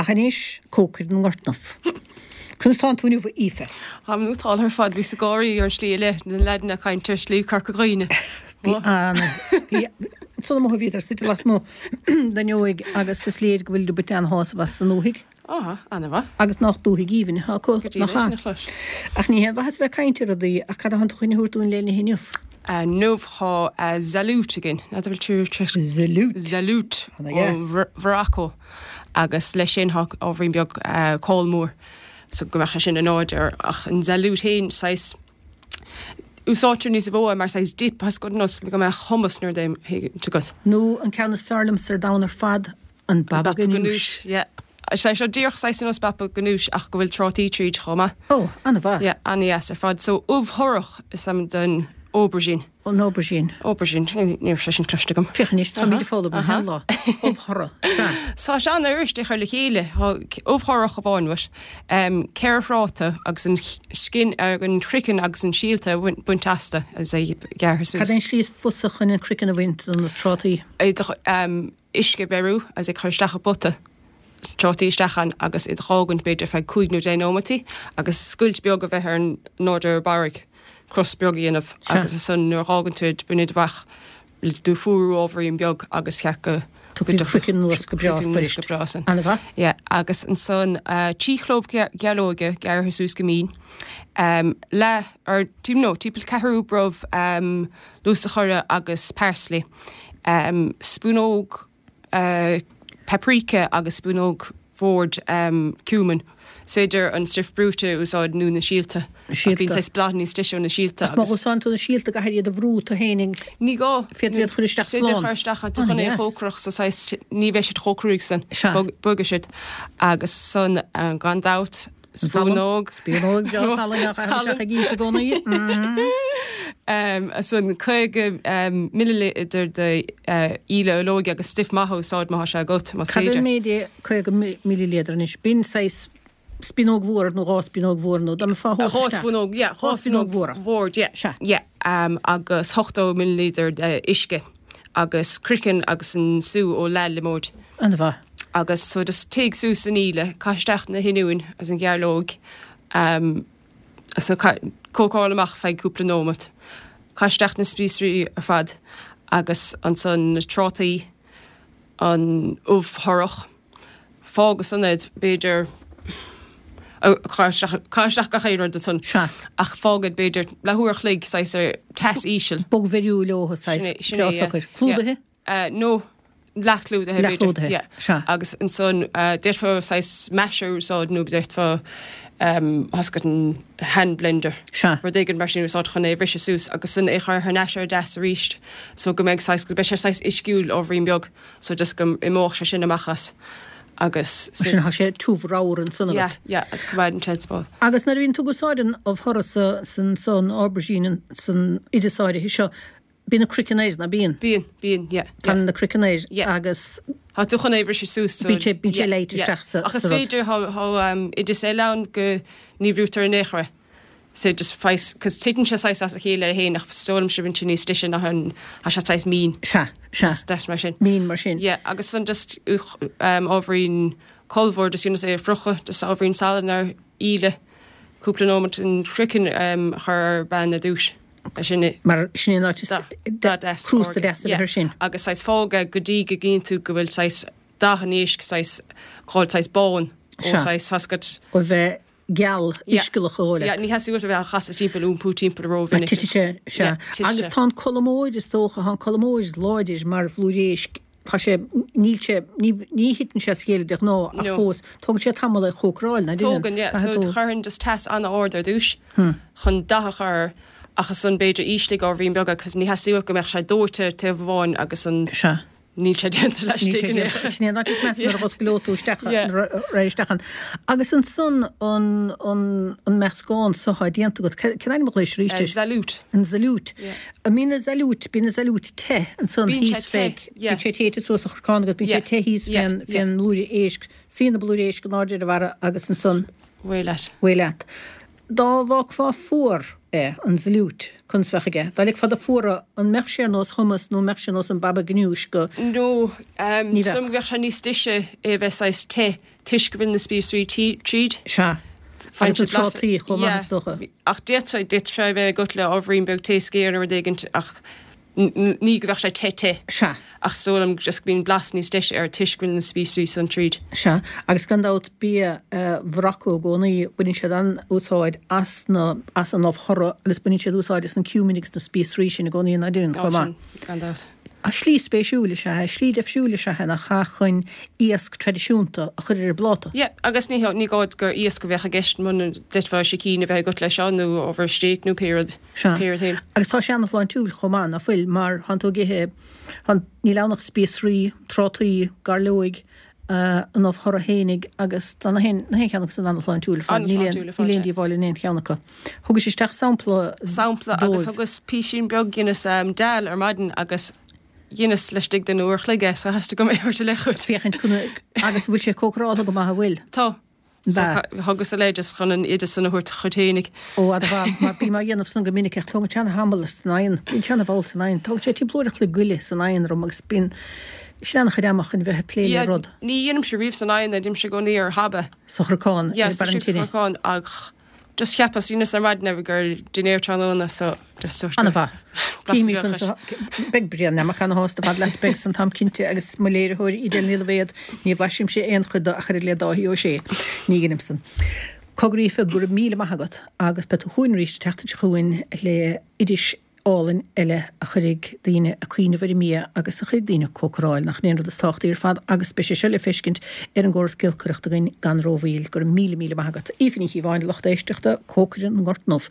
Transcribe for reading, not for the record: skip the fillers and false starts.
Ach anois, cócaire na nGortnough. Conas tánn tú inniu, a Aoife? Táim nótáltha ar fad. Bhíos ag gáirí ar an slí i leith, na leaideanna ag caint ar Shlí Chorca Dhuibhne. Bhí an, bhí, ansan amuigh a bhíodar suite lasmuigh den fhuinneoig agus is léir go bhfuil ag baint an-shásamh as an ndúthaigh. Á, ana-mhaith. Agus nách dúthaigh aoibhinn atá acu, Go dtí nach leis ea? na clois. Ach ní haon mhaitheas a bheith ag caint ar rudaí, ach cad atánn tú chun a thabhairt dúinn le n-ithe inniu? Inniu tá zaloot againn. N'fheadar bhfuil tú tar éis. Zaloot. Zaloot Ana ó dheas. Mhorocco. Agus leis sin tá ábhairín beag cál mór so go mbeadh sé sin in airde air. Ach an zaloot féin, saghas, úsáidtear níos mó é mar saghas dip, as go nós go mbeadh hummus nó rud éigin agat. Nó an ceann is fearr liomsa ar domhan ar fad, an baba ganoush. Yeah. Sé seo díreach saghas ar nós baba ganoush ach go bhfuil trátaí tríd chomh maith. Ó, an-mhaith. Yeah, an-dheas ar fad. So ubh thorrach is ainm don aubergine. An aubergine. Aubergine, ní raibh sé sin cloiste agam. Féach anois, táimid ag foghlaim achan lá. Ubh thorrach, sea. Tá sé an-fhuirist é chur le chéile. Tá ubh thorrach amháin uait, 4 thráta agus an skin, an craiceann agus an síolta a bhaint astu agus é gearrtha suas. Cad é an slí is fusa chun an craiceann a bhaint de na trátaí? Uisce a bheiriú agus é chur isteach i bpota, trátaí isteach ann agus iad a dh'fhágaint b'fhéidir feadh 5 nó 10 nóimeataí agus scoilt beag a bheith ar in airde ar barraigh, cros beag a dhéanamh agus ansan nuair a dh'fhágann tú iad, bain iad amach, lig dóibh fuarú ábhairín beag agus cheap go Tiocfaidh an craiceann anuas go breá fuirist. Go breá san. Ana-mhaith. Yeah, agus ansan 3 chlóbh gearlóige gearrtha suas go mín, leath, or no, timpeall ceathrú brobh lus a chorra agus parsley, spúnóg paprika agus spúnóg bhoird cumin. Is féidir an stuif brúite a úsáid nó na síolta. Ach bíonn saghas blas níos deise ó na síolta. Ach má úsáideann tú na síolta caithfidh iad a bhrú tú fhéinig. Ní gá. Féadtar iad a chur isteach slán. Féidir a chur isteach tá tú chun é a chócaireacht so saghas ní bheidh siad chomh cruaidh san. Bogfaidh siad. Agus san gan dabht Spúnóg. Spúnóg bhreá salainn á chaitheamh isteach ag Aoife i gcónaí. Ansan 50 millilítear de íle olóige agus stuif maith a úsáid má tá sé agat, más Cad é féidir. an méid é 50 millilítear anois? B'in saghas spíonóg mhór nó dhá spíonóg mhór nó dá mbeifeá a thomhas isteach. Dhá spúnóg, yeah, dhá spúnóg mhóra. Bhord, yeah. Sea. Yeah. Agus 80 millilítear de uisce agus craiceann agus an sú ó leath liomóid. An-mhaith. Agus so just téigh suas an íle, caith isteach na hoinniúin agus an ghearrlóg, so cócáil amach feadh cúpla nóimeat. Caith isteach na spíosraí ar fad agus ansan na trátaí, an ubh thorrach, fág ansan iad b'fhéidir, caith isteach, caith isteach gach aon rud ansan. Sea. Ach fág iad b'fhéidir leathuair a chloig saghas ar teas íseal. Bogmheiriú leo saghas, Sin é, breá yeah. socair. Clúdaithe? No, leathchlúdaithe b'fhéidir. Leathchlúdaithe, Yeah. sea. Agus ansan d'fhéadfá saghas masher a úsáid nó d'fhéadfá thoscaid an hand blender. Sea. Rud éigin mar sin a úsáid chun é a bhriseadh suas agus ansan é a chur thar n-ais ar an dteas arís so go mbeidh saghas, go mbeidh sé saghas uisciúil ábhairín beag so just go imeodh sé sin amach as agus. Mar sin tá sé tiubh ramhar ansan agat. Yeah, yeah, agus coimeádann sé spás. Agus nuair a bhíonn tú ag úsáid an ubh thorrach sa, san, san aubergine, san oideas áirithe seo, Bíonn an craiceann air, ná bíonn? Bíonn, bíonn, yeah. Fanann an craiceann air Yeah. agus. Tá tú chun é a bhriseadh suas so. Bíonn sé, bíonn sé leáite yeah, isteach sa, Ach is sa rud. féidir, thá, thá oideas eile ann go ní bhrúitear in aon chor é. So just faghas, 'cause titeann sé saghas as a chéile é fhéin ach is dóigh liomsa bíonn sé níos deise ná an, thá sé saghas mín. Sea, sea. Is deas mar sin. Mín mar sin. Yeah, agus ansan just ábhairín colbha just ionas é a phriochadh, just ábhairín salainn ar íle, cúpla nóimeat an craiceann a chur ar an bpan ar dtúis. Sin é. Mar sin é an áit is Dath deas. crústa deas a bheith air sin. Agus saghas fág é go dtí go gcíonn tú go bhfuil saghas dath an éisc saghas dhul saghas bán ó saghas thoscaid. Ó bheith geal uiscealach a dhul leat. Ní theastaíonn uait a bheith á chasadh timpeall, iompú timpeall rómhinic. Mar titfidh sé, sea. Agus tá an colmóir is dócha, tá an colmóir láidir mar bhlúire éisc Tá sé, níl sé, ní, ní thiteann sé as a chéile de ghnáth ach No. fós, tógann sé tamall é a chócaráil, ná déanann? Tógann, yeah. Caithfidh So tú. chuirfinn just teas an-ard ar dtúis chun dath a chur air ach ansan b'fhéidir ísligh ábhairín beag é 'cause ní theastaíonn uait go mbeadh sé dóite taobh amháin agus an Sea. níl sé déanta Níl laistigh sé in déanta. aon Sin é an áit is measa nuair a dh'osclóidh tú isteach, Yeah. nuair a raghaidh isteach ann. Agus ansan an, an, an meascán so atá déanta agat, cén ainm a ghlaois arís air? Zaloot. An zaloot. Yeah. An mbíonn an zaloot, bíonn an zaloot te ansan Bíonn sé thíos fé, te, yeah. bíonn sé téite suas sa chorcán agat, bíonn sé Yeah, te thíos yeah, fén, yeah. fén mblúire éisc, suíonn an blúire éisc in airde ar an bharra agus ansan Away leat. away leat. Dá bhfágfá fuar é, an zaloot, conas bheadh aige? Dá ligfeá dó fuaradh, an mbeadh sé ar nós hummus nó an mbeadh sé ar nós an baba ganoush go. No, Ní bheadh. Sílim go mbeadh sé níos deise é a bheith saghas te toisc go bhfuil na spíosraí tríd. Sea. Agus na trátaí chomh maith is dócha. Ach d'fhéadfadh, d'fhéadfadh sé a bheith agat le ábhairín beag tae sciar nó rud éigint ach ní go mbeadh sé te te. Sea. Ach is dóigh liom just go mbíonn blas níos deise air toisc go bhfuil na spíosraí san tríd. Sea. Agus gan dabht bia Mhorocco i gcónaí, baineann siad an-úsáid as na, as an ubh chorra agus baineann siad úsáid as an cumin agus na spíosraí sin i gcónaí, nach ndeineann, chomh maith. Ó sin, gan dabht. Slí spéisiúil is ea é, slí deifriúil is ea é nach ea chun iasc traidisiúnta a chur ar an bpláta. Yeah, agus ní ní gá gur iasc a bheadh i gceist muna d'fhéadfá sicín a bheith agat leis seo nó ábhar stéig nó pé rud, Sea. pé rud féin. Agus tá sé an-shláintiúil chomh maith, ná fuil, mar tánn tú ag ithe, tánn, níl ann ach spíosraí, trátaí, gairleoig, an ubh chorra fhéinig agus tá na haon na haon cheann acu san an-shláintiúil ar fad, níl aon An-shláintiúil ar fad, níl aon yeah. díobháil in aon cheann acu. Thugais isteach sampla Sampla agus dóibh. thugas písín beag dheineas dal ar maidin agus dheineas laistigh den uair a chloig é so theastaigh uaim é a thabhairt i leith dhuit. Féachaint agus an bhfuil sé cócaráltha go maith an bhfuil? Tá. So thugas i leith just chun an oideas san a thabhairt dhuit fhéinig. Ó, an-mhaith, mar bím á dhéanamh san go minic ach tógann sé ana-thamall san oigheann, bíonn sé ana-mhall san oigheann, tógann sé timpeall uair a chloig go leith san oigheann orm agus bíonn, sin ana-chuid ama chun bheith ag plé le rud. Ní dhéanaimse riamh san oigheann é, déanaimse i gcónaí ar thaba. Sa chrocán, ar barr an tine. Sa chrocán ach just cheapas, dheineas ar maidin é gur dinnéar tráthnóna so just sort of. An-mhaith. Címid conas a, beidh Brian Nammock ana-shásta ar fad leat, beidh san táim cinnte agus mo léiritheoir Edel Ní Loibhéad, ní bhlaisimse aon chuid de ach oiread le Dáithí Ó Sé. Ní dheinim san. Cogar Aoife, go raibh míle maith agat agus beidh tú chugainn arís an tseachtain seo chugainn le oidis álainn eile a chuirfidh daoine ag cuimhneamh ar an mbia agus a chuirfidh daoine ag cócaráil, nach in é an rud is tábhachtaí ar fad agus beidh sé seo le feiscint ar an gcóras giolcaireachta againn gan rómhoill. Go raibh míle míle maith agat. Aoife Ní Chíobháin, lucht éisteachta, cócaire na nGort nDubh.